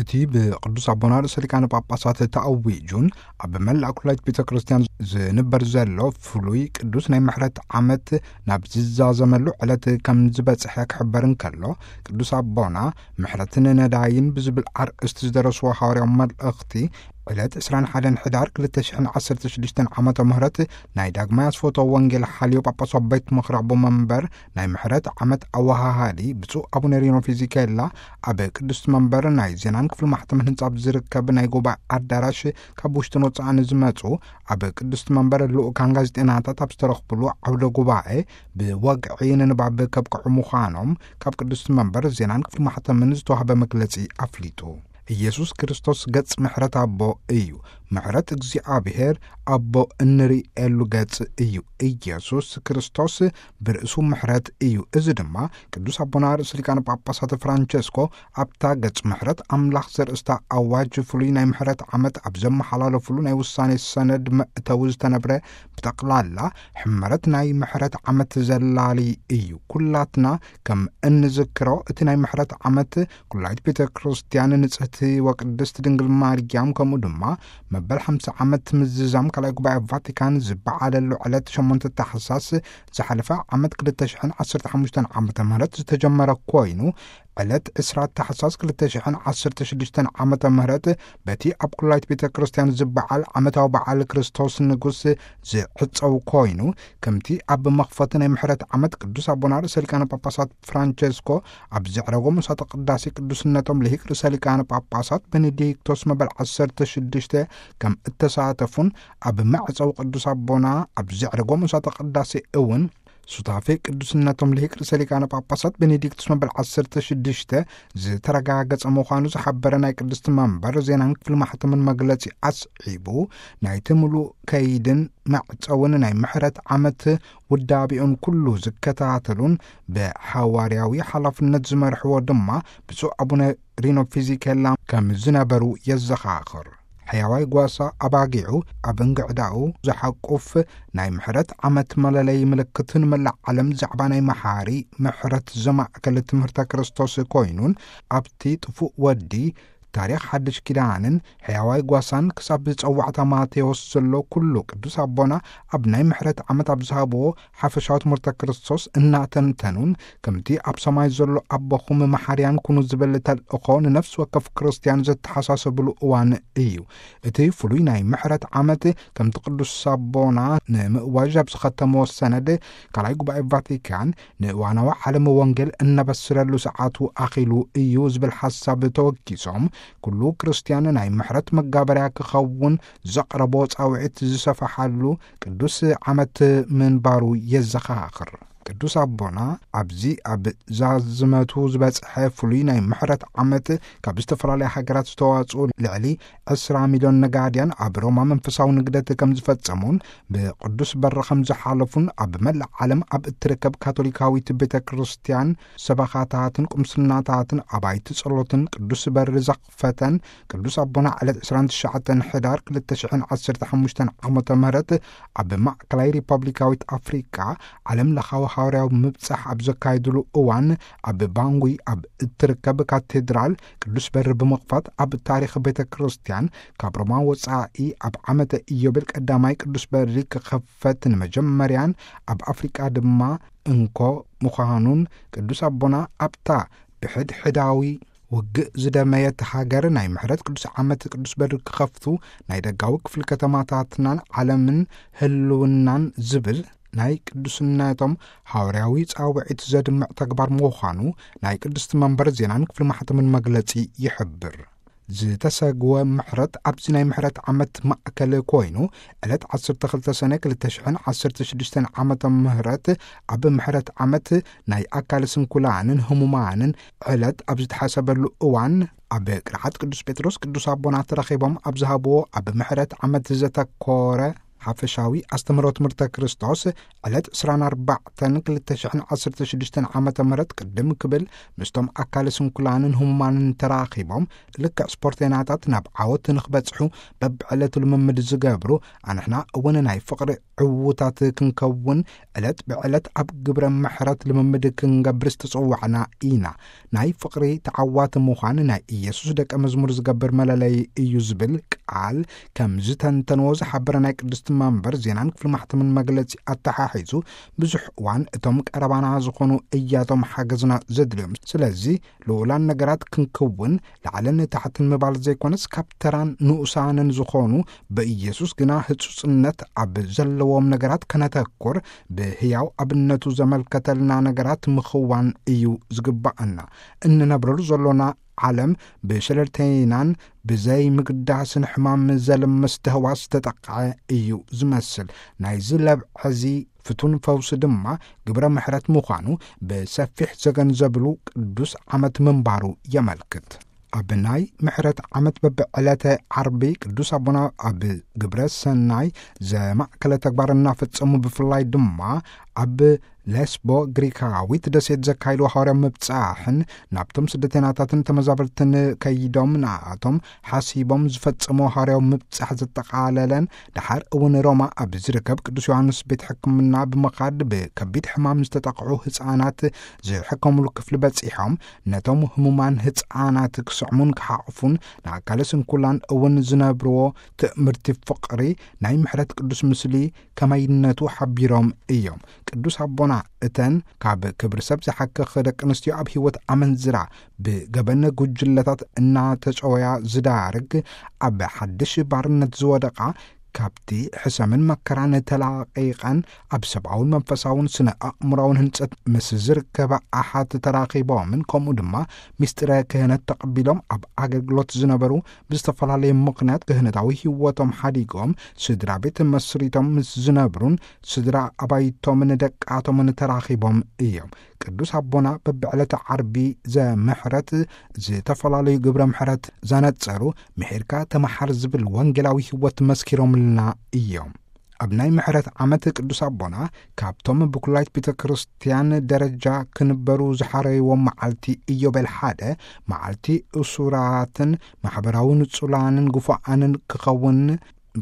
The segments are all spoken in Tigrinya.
እቲ ብቅዱስ ኣቦና ርእሰ ሊቃነ ጳጳሳት ተኣዊጁን ኣብ መላእ ኩላይት ቤተ ክርስቲያን ዝንበር ዘሎ ፍሉይ ቅዱስ ናይ ምሕረት ዓመት ናብ ዝዛዘመሉ ዕለት ከም ዝበጽሐ ክሕበር እንከሎ፣ ቅዱስ ኣቦና ምሕረትን ነዳይን ብዝብል ኣርእስቲ ዝደረስዎ ሃዋርያዊ መልእኽቲ፣ ዕለት ዕስራን ሓደን ሕዳር ክልተ ሽሕን ዓሰርተ ሽዱሽተን ዓመተ ምህረት ናይ ዳግማይ ኣስፎቶ ወንጌል ሓልዮ ጳጳሳዊ ቤት ምኽሪ ኣቦ መንበር ናይ ምሕረት ዓመት ኣወሃሃዲ ብፁዕ ኣቡነ ሪኖ ፊዚኬላ ኣብ ቅድስቲ መንበር ናይ ዜናን ክፍሊ ማሕተምን ህንጻ ኣብ ዝርከብ ናይ ጉባኤ ኣዳራሽ ካብ ውሽጥን ወጻእን ዝመጹ ኣብ ቅድስቲ መንበር ልኡካን ጋዜጠናታት ኣብ ዝተረኽብሉ ዓውደ ጉባኤ ብወግዒ ንንባብ ከብቅዑ ምዃኖም ካብ ቅድስቲ መንበር ዜናን ክፍሊ ማሕተምን ዝተዋህበ መግለጺ ኣፍሊጡ። ኢየሱስ ክርስቶስ ገጽ ምሕረት ኣቦ እዩ። ምሕረት እግዚኣብሔር ኣቦ እንርእየሉ ገጽ እዩ። ኢየሱስ ክርስቶስ ብርእሱ ምሕረት እዩ። እዚ ድማ ቅዱስ ኣቦና ርእሰ ሊቃነ ጳጳሳት ፍራንቸስኮ ኣብታ ገጽ ምሕረት ኣምላኽ ዘርእስታ ኣዋጅ ፍሉይ ናይ ምሕረት ዓመት ኣብ ዘመሓላለፉሉ ናይ ውሳኔ ሰነድ መእተዊ ዝተነብረ ብጠቕላላ ሕመረት ናይ ምሕረት ዓመት ዘላሊ እዩ። ኩላትና ከም እንዝክሮ እቲ ናይ ምሕረት ዓመት ኩላይት ቤተ ክርስቲያን ንጽህቲ ወቅድስት ድንግል ማርያም ከምኡ ድማ መበል ሓምሳ ዓመት ምዝዛም ካልኣይ ጉባኤ ቫቲካን ዝበዓለሉ ዕለት ሸሞንተ ታሕሳስ ዝሓለፈ ዓመት ክልተ ሽሕን ዓሰርተ ሓሙሽተን ዓመተ ምህረት ዝተጀመረ ኮይኑ ዕለት ዕስራ ታሕሳስ ክልተ ሽሕን ዓሰርተ ሽዱሽተን ዓመተ ምህረት በቲ ኣብ ኩላይት ቤተ ክርስቲያን ዝበዓል ዓመታዊ በዓል ክርስቶስ ንጉስ ዝዕጸው ኮይኑ ከምቲ ኣብ መኽፈቲ ናይ ምሕረት ዓመት ቅዱስ ኣቦና ርእሰ ሊቃነ ጳጳሳት ፍራንቸስኮ ኣብ ዘዕረጎ ምሳተ ቅዳሴ ቅዱስነቶም ልሂቅ ርእሰ ሊቃነ ጳጳሳት ቤኔዲክቶስ መበል ዓሰርተ ሽዱሽተ ከም እተሳተፉን ኣብ መዕጸዊ ቅዱስ ኣቦና ኣብ ዘዕረጎ ምሳተ ቅዳሴ እውን ሱታፌ ቅዱስነቶም ልሂቅ ርእሰ ሊቃነ ጳጳሳት ቤኔዲክቱስ መበል ዓሰርተ ሽዱሽተ ዝተረጋገጸ ምዃኑ ዝሓበረ ናይ ቅድስቲ መንበር ዜናን ክፍሊ ማሕተምን መግለጺ ኣስዒቡ፣ ናይቲ ምሉእ ከይድን መዕጸውን ናይ ምሕረት ዓመት ውዳቤኡን ኩሉ ዝከታተሉን ብሓዋርያዊ ሓላፍነት ዝመርሕዎ ድማ ብፁዕ ኣቡነ ሪኖ ፊዚኬላ ከም ዝነበሩ የዘኻኽር። ሕያዋይ ጓሳ ኣባጊዑ ኣብ እንግዕዳኡ ዝሓቁፍ ናይ ምሕረት ዓመት መለለዪ ምልክት ንመላእ ዓለም ዛዕባ ናይ መሓሪ ምሕረት ዘማእከለ ትምህርተ ክርስቶስ ኮይኑን ኣብቲ ጥፉእ ወዲ ታሪኽ ሓድሽ ኪዳንን ሕያዋይ ጓሳን ክሳብ ዝጸዋዕታ ማቴዎስ ዘሎ ኩሉ ቅዱስ ኣቦና ኣብ ናይ ምሕረት ዓመት ኣብ ዝሃብዎ ሓፈሻዊ ትምህርተ ክርስቶስ እናተንተኑን ከምቲ ኣብ ሰማይ ዘሎ ኣቦኹም መሓርያን ኩኑ ዝብል ተልእኾ ንነፍሲ ወከፍ ክርስትያን ዘተሓሳሰብሉ እዋን እዩ። እቲ ፍሉይ ናይ ምሕረት ዓመት ከምቲ ቅዱስ ኣቦና ንምእዋጅ ኣብ ዝኸተምዎ ሰነድ ካልኣይ ጉባኤ ቫቲካን ንእዋናዊ ዓለም ወንጌል እነበስረሉ ሰዓቱ ኣኺሉ እዩ ዝብል ሓሳብ ተወኪሶም ኩሉ ክርስትያን ናይ ምሕረት መጋበርያ ክኸውን ዘቕረቦ ጻውዒት ዝሰፈሓሉ ቅዱስ ዓመት ምንባሩ የዘኻኽር። ቅዱስ ኣቦና ኣብዚ ኣብ ዛዝመቱ ዝበጽሐ ፍሉይ ናይ ምሕረት ዓመት ካብ ዝተፈላለያ ሃገራት ዝተዋጽኡ ልዕሊ ዕስራ ሚልዮን ነጋድያን ኣብ ሮማ መንፈሳዊ ንግደት ከም ዝፈጸሙን ብቅዱስ በር ከም ዝሓለፉን ኣብ መላእ ዓለም ኣብ እትርከብ ካቶሊካዊት ቤተ ክርስቲያን ሰበኻታትን ቁምስናታትን ኣባይቲ ጸሎትን ቅዱስ በር ዘኽፈተን ቅዱስ ኣቦና ዕለት ዕስራን ትሽዓተን ሕዳር ክልተ ሽሕን ዓሰርተ ሓሙሽተን ዓመተ ምህረት ኣብ ማእከላይ ሪፐብሊካዊት ኣፍሪቃ ዓለም ለኻዊ ሃዋርያዊ ምብጻሕ ኣብ ዘካየድሉ እዋን ኣብ ባንጉይ ኣብ እትርከብ ካቴድራል ቅዱስ በር ብምኽፋት ኣብ ታሪኽ ቤተ ክርስቲያን ካብ ሮማ ወጻኢ ኣብ ዓመተ ኢዮቤል ቀዳማይ ቅዱስ በሪ ክኸፈት ንመጀመርያን ኣብ ኣፍሪቃ ድማ እንኮ ምዃኑን ቅዱስ ኣቦና ኣብታ ብሕድሕዳዊ ውግእ ዝደመየት ሃገር ናይ ምሕረት ቅዱስ ዓመት ቅዱስ በሪ ክኸፍቱ ናይ ደጋዊ ክፍሊ ከተማታትናን ዓለምን ህልውናን ዝብል ናይ ቅዱስነቶም ሃዋርያዊ ጻውዒት ዘድምዕ ተግባር ምዃኑ ናይ ቅድስቲ መንበር ዜናን ክፍሊ ማሕተምን መግለጺ ይሕብር። ዝተሰግወ ምሕረት ኣብዚ ናይ ምሕረት ዓመት ማእከል ኮይኑ ዕለት ዓሰርተ ክልተ ሰነ ክልተ ሽሕን ዓሰርተ ሽዱሽተን ዓመተ ምህረት ኣብ ምሕረት ዓመት ናይ ኣካል ስንኩላንን ህሙማንን ዕለት ኣብ ዝተሓሰበሉ እዋን ኣብ ቅርዓት ቅዱስ ጴጥሮስ ቅዱስ ኣቦና ተረኺቦም ኣብ ዝሃብዎ ኣብ ምሕረት ዓመት ዘተኮረ ሓፈሻዊ ኣስተምህሮ ትምህርተ ክርስቶስ ዕለት ዕስራን ኣርባዕተን ክልተ ሽሕን ዓሰርተ ሽዱሽተን ዓመተ ምህረት ቅድም ክብል ምስቶም ኣካለ ስንኩላንን ህሙማንን ተራኺቦም፣ ልክዕ ስፖርተኛታት ናብ ዓወት ንኽበጽሑ በብዕለቱ ልምምድ ዝገብሩ፣ ኣንሕና እውን ናይ ፍቕሪ ዕዉታት ክንከውን ዕለት ብዕለት ኣብ ግብረ ምሕረት ልምምድ ክንገብር ዝተጸዋዕና ኢና። ናይ ፍቕሪ ተዓዋቲ ምዃን ናይ ኢየሱስ ደቀ መዝሙር ዝገብር መለለዪ እዩ ዝብል ቃል ከም ዝተንተንዎ ዝሓበረ ናይ ቅድስቲ መንበር ዜናን ክፍሊ ማሕተምን መግለጺ ኣተሓሒዙ፣ ብዙሕ እዋን እቶም ቀረባና ዝኾኑ እያቶም ሓገዝና ዘድልዮም። ስለዚ ልዑላን ነገራት ክንክውን፣ ላዕልን ታሕትን ምባል ዘይኮነስ፣ ካብ ተራን ንኡሳንን ዝኾኑ ብኢየሱስ ግና ህጹጽነት ኣብ ዘለዎም ነገራት ከነተኩር፣ ብህያው ኣብነቱ ዘመልከተልና ነገራት ምኽዋን እዩ ዝግባኣና። እንነብረሉ ዘሎና ዓለም ብሸለልተይናን ብዘይ ምግዳስን ሕማም ዘልምስ ተህዋስ ዝተጠቕዐ እዩ ዝመስል። ናይዚ ለብዐዚ ፍቱን ፈውሲ ድማ ግብረ ምሕረት ምዃኑ ብሰፊሕ ዘገንዘብሉ ቅዱስ ዓመት ምንባሩ የመልክት። ኣብ ናይ ምሕረት ዓመት በብዕለተ ዓርቢ ቅዱስ ኣቦና ኣብ ግብረ ሰናይ ዘማእከለ ተግባር እናፈጸሙ፣ ብፍላይ ድማ ኣብ ሌስቦ ግሪካዊት ደሴት ዘካይድዎ ሃዋርያዊ ምብጻሕን ናብቶም ስደተናታትን ተመዛበልትን ከይዶም ንኣቶም ሓሲቦም ዝፈጸምዎ ሃዋርያዊ ምብጻሕ ዘጠቓለለን፣ ደሓር እውን ሮማ ኣብ ዝርከብ ቅዱስ ዮሃንስ ቤት ሕክምና ብምኻድ ብከቢድ ሕማም ዝተጠቕዑ ህጻናት ዝሕከሙሉ ክፍሊ በጺሖም፣ ነቶም ህሙማን ህጻናት ክስዕሙን ክሓቕፉን ንኣካለ ስንኩላን እውን ዝነብርዎ ትእምርቲ ፍቕሪ ናይ ምሕረት ቅዱስ ምስሊ ከመይነቱ ሓቢሮም እዮም። ቅዱስ ኣቦና እተን ካብ ክብሪ ሰብ ዝሓክኽ ደቂ ኣንስትዮ ኣብ ህይወት ኣመንዝራ ብገበን ጉጅለታት እናተጨወያ ዝዳርግ፣ ኣብ ሓድሽ ባርነት ዝወደቓ፣ ካብቲ ሕሰምን መከራን ተላቒቐን ኣብ ሰብኣውን መንፈሳውን ስነ ኣእምራውን ህንጸት ምስ ዝርከባ ኣሓት ተራኺቦምን ከምኡ ድማ ምስጢረ ክህነት ተቐቢሎም ኣብ ኣገልግሎት ዝነበሩ፣ ብዝተፈላለየ ምኽንያት ክህነታዊ ህይወቶም ሓዲጎም ስድራ ቤት መስሪቶም ምስ ዝነብሩን ስድራ ኣባይቶምን ደቃቶምን ተራኺቦም እዮም። ቅዱስ ኣቦና በብዕለተ ዓርቢ ዘምሕረት ዝተፈላለዩ ግብረ ምሕረት ዘነጸሩ፣ ምሒርካ ተመሓር ዝብል ወንጌላዊ ህይወት መስኪሮምልና እዮም። ኣብ ናይ ምሕረት ዓመት ቅዱስ ኣቦና ካብቶም ብኩላይት ቤተ ክርስቲያን ደረጃ ክንበሩ ዝሓረይዎም መዓልቲ ኢዮቤል ሓደ፣ መዓልቲ እሱራትን ማሕበራዊ ንጹላንን ግፉዓንን ክኸውን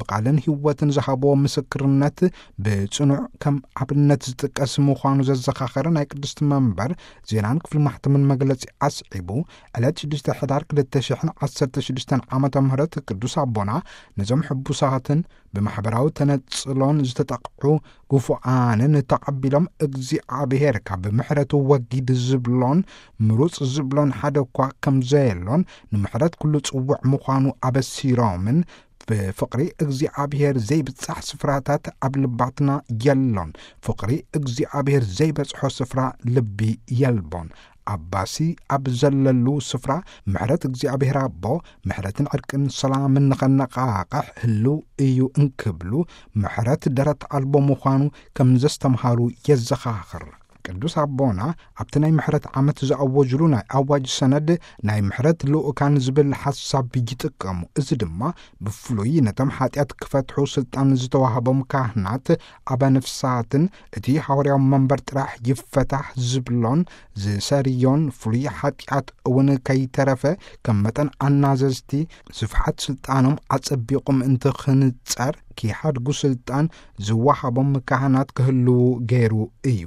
ብቓልን ህይወትን ዝሃብዎ ምስክርነት ብጽኑዕ ከም ኣብነት ዝጥቀስ ምዃኑ ዘዘኻኸረ ናይ ቅድስቲ መንበር ዜናን ክፍሊ ማሕተምን መግለጺ ኣስዒቡ፣ ዕለት ሽዱሽተ ሕዳር ክልተ ሽሕን ዓሰርተ ሽዱሽተን ዓመተ ምህረት ቅዱስ ኣቦና ነዞም ሕቡሳትን ብማሕበራዊ ተነጽሎን ዝተጠቕዑ ግፉዓንን ተቐቢሎም፣ እግዚኣብሔር ካብ ምሕረቱ ወጊድ ዝብሎን ምሩጽ ዝብሎን ሓደ እኳ ከም ዘየሎን፣ ንምሕረት ኩሉ ጽውዕ ምዃኑ ኣበሲሮምን፣ ብፍቕሪ እግዚኣብሔር ዘይብጻሕ ስፍራታት ኣብ ልባትና የሎን፣ ፍቕሪ እግዚኣብሔር ዘይበጽሖ ስፍራ ልቢ የልቦን። ኣባሲ ኣብ ዘለሉ ስፍራ ምሕረት እግዚኣብሔር ኣቦ፣ ምሕረትን ዕርቅን ሰላምን ንኸነቓቕሕ ህልው እዩ እንክብሉ፣ ምሕረት ደረት ኣልቦ ምዃኑ ከም ዘስተምሃሩ የዘኻኽር። ቅዱስ ኣቦና ኣብቲ ናይ ምሕረት ዓመት ዝኣወጅሉ ናይ ኣዋጅ ሰነድ፣ ናይ ምሕረት ልኡካን ዝብል ሓሳብ ይጥቀሙ። እዚ ድማ ብፍሉይ ነቶም ሓጢኣት ክፈትሑ ስልጣን ዝተዋህቦም ካህናት፣ ኣበ ንፍሳትን እቲ ሃዋርያዊ መንበር ጥራሕ ይፈታሕ ዝብሎን ዝሰርዮን፣ ፍሉይ ሓጢኣት እውን ከይተረፈ ከም መጠን ኣናዘዝቲ ስፍሓት ስልጣኖም ኣጸቢቑ ምእንቲ ክንጸር ኪሓድጉ ስልጣን ዝወሃቦም ካህናት ክህልዉ ገይሩ እዩ።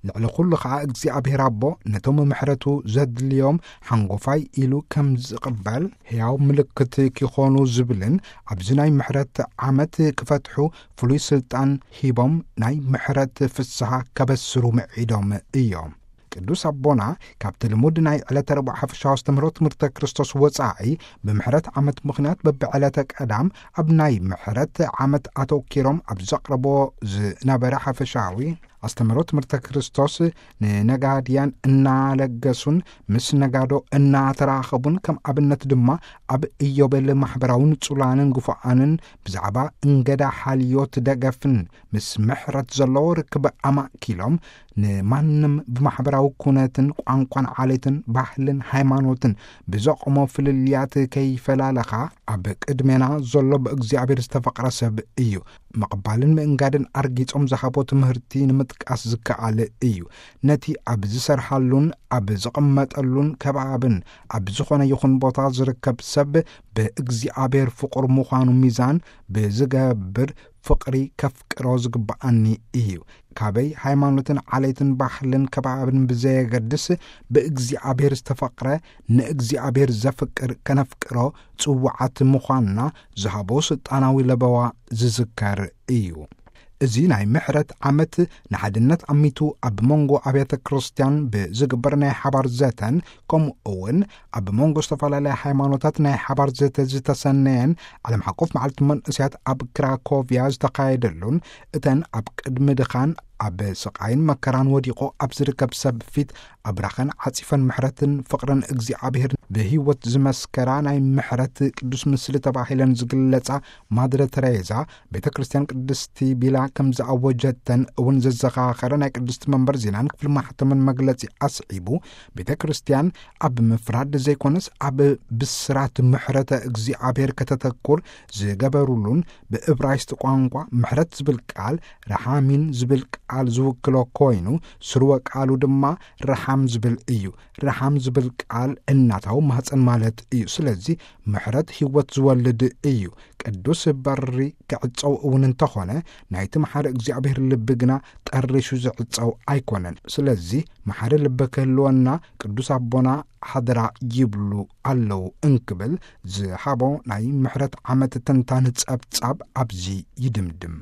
ልዕሊ ኩሉ ኸኣ እግዚኣብሔር ኣቦ ነቶም ምሕረቱ ዘድልዮም ሓንጎፋይ ኢሉ ከም ዝቕበል፣ ሕያው ምልክት ኪኾኑ ዝብልን ኣብዚ ናይ ምሕረት ዓመት ክፈትሑ ፍሉይ ስልጣን ሂቦም ናይ ምሕረት ፍስሓ ከበስሩ ምዒዶም እዮም። ቅዱስ ኣቦና ካብቲ ልሙድ ናይ ዕለተ ረቡዕ ሓፈሻዊ ኣስተምህሮ ትምህርተ ክርስቶስ ወጻኢ፣ ብምሕረት ዓመት ምኽንያት በብዕለተ ቀዳም ኣብ ናይ ምሕረት ዓመት ኣተኪሮም ኣብ ዘቕረቦ ዝነበረ ሓፈሻዊ ኣስተምህሮ ትምህርተ ክርስቶስ፣ ንነጋድያን እናለገሱን ምስ ነጋዶ እናተራኸቡን፣ ከም ኣብነት ድማ ኣብ ኢዮቤል ማሕበራዊ ንጹላንን ግፉዓንን ብዛዕባ እንገዳ ሓልዮት ደገፍን ምስ ምሕረት ዘለዎ ርክብ ኣማእኪሎም ንማንም ብማሕበራዊ ኩነትን ቋንቋን ዓሌትን ባህልን ሃይማኖትን ብዘቆሞ ፍልልያት ከይፈላለኻ ኣብ ቅድሜና ዘሎ ብእግዚኣብሔር ዝተፈቕረ ሰብ እዩ። ምቕባልን ምእንጋድን ኣርጊጾም ዝሃቦ ትምህርቲ ንምጥቃስ ዝከኣል እዩ። ነቲ ኣብ ዝሰርሓሉን ኣብ ዝቕመጠሉን ከባብን ኣብ ዝኾነ ይኹን ቦታ ዝርከብ ሰብ ብእግዚኣብሔር ፍቑር ምዃኑ ሚዛን ብዝገብር ፍቕሪ ከፍቅሮ ዝግብኣኒ እዩ። ካበይ ሃይማኖትን ዓሌትን ባህልን ከባብን ብዘየገድስ ብእግዚኣብሔር ዝተፈቕረ ንእግዚኣብሔር ዘፍቅር ከነፍቅሮ ጽውዓት ምዃንና ዝሃቦ ስልጣናዊ ለበዋ ዝዝከር እዩ። እዚ ናይ ምሕረት ዓመት ንሓድነት ኣሚቱ ኣብ መንጎ ኣብያተ ክርስቲያን ብዝግበር ናይ ሓባር ዘተን ከምኡ እውን ኣብ መንጎ ዝተፈላለያ ሃይማኖታት ናይ ሓባር ዘተ ዝተሰነየን ዓለም ሓቆፍ መዓልቲ መንእስያት ኣብ ክራኮቪያ ዝተኻየደሉን እተን ኣብ ቅድሚ ድኻን ኣብ ስቓይን መከራን ወዲቑ ኣብ ዝርከብ ሰብ ፊት ኣብራኸን ዓጺፈን ምሕረትን ፍቕርን እግዚኣብሔር ብህይወት ዝመስከራ ናይ ምሕረት ቅዱስ ምስሊ ተባሂለን ዝግለጻ ማድረ ተሬዛ ቤተ ክርስቲያን ቅድስቲ ቢላ ከም ዝኣወጀተን እውን ዘዘኻኸረ ናይ ቅድስቲ መንበር ዜናን ክፍሊ ማሕተምን መግለጺ ኣስዒቡ፣ ቤተ ክርስቲያን ኣብ ምፍራድ ዘይኮነስ ኣብ ብስራት ምሕረተ እግዚኣብሔር ከተተኩር ዝገበሩሉን ብእብራይስጥ ቋንቋ ምሕረት ዝብል ቃል ረሓሚን ዝብል ቃል ዝውክሎ ኮይኑ ስርወ ቃሉ ድማ ረሓም ዝብል እዩ። ረሓም ዝብል ቃል እናታዊ ማህፀን ማለት እዩ። ስለዚ ምሕረት ህይወት ዝወልድ እዩ። ቅዱስ በሪ ክዕፀው እውን እንተኾነ ናይቲ መሓሪ እግዚኣብሔር ልቢ ግና ጠሪሹ ዝዕፀው ኣይኮነን። ስለዚ መሓሪ ልቢ ክህልወና ቅዱስ ኣቦና ሓደራ ይብሉ ኣለዉ እንክብል ዝሃቦ ናይ ምሕረት ዓመት ትንታን ጸብጻብ ኣብዚ ይድምድም።